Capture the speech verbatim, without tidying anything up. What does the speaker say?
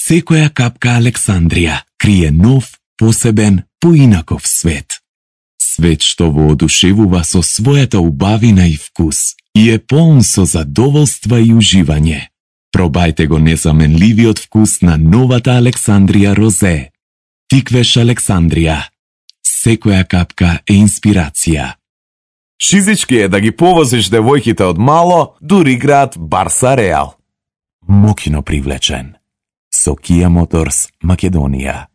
Секоја капка Александрија крие нов, посебен, поинаков свет. Свет што воодушевува со својата убавина и вкус и е полн со задоволства и уживање. Пробајте го незаменливиот вкус на новата Александрија Розе. Тиквеш Александрија. Секоја капка е инспирација. Шизички е да ги повозиш девојките од мало, дури град Барса Реал. Мокино привлечен. Со Kia Motors Македонија.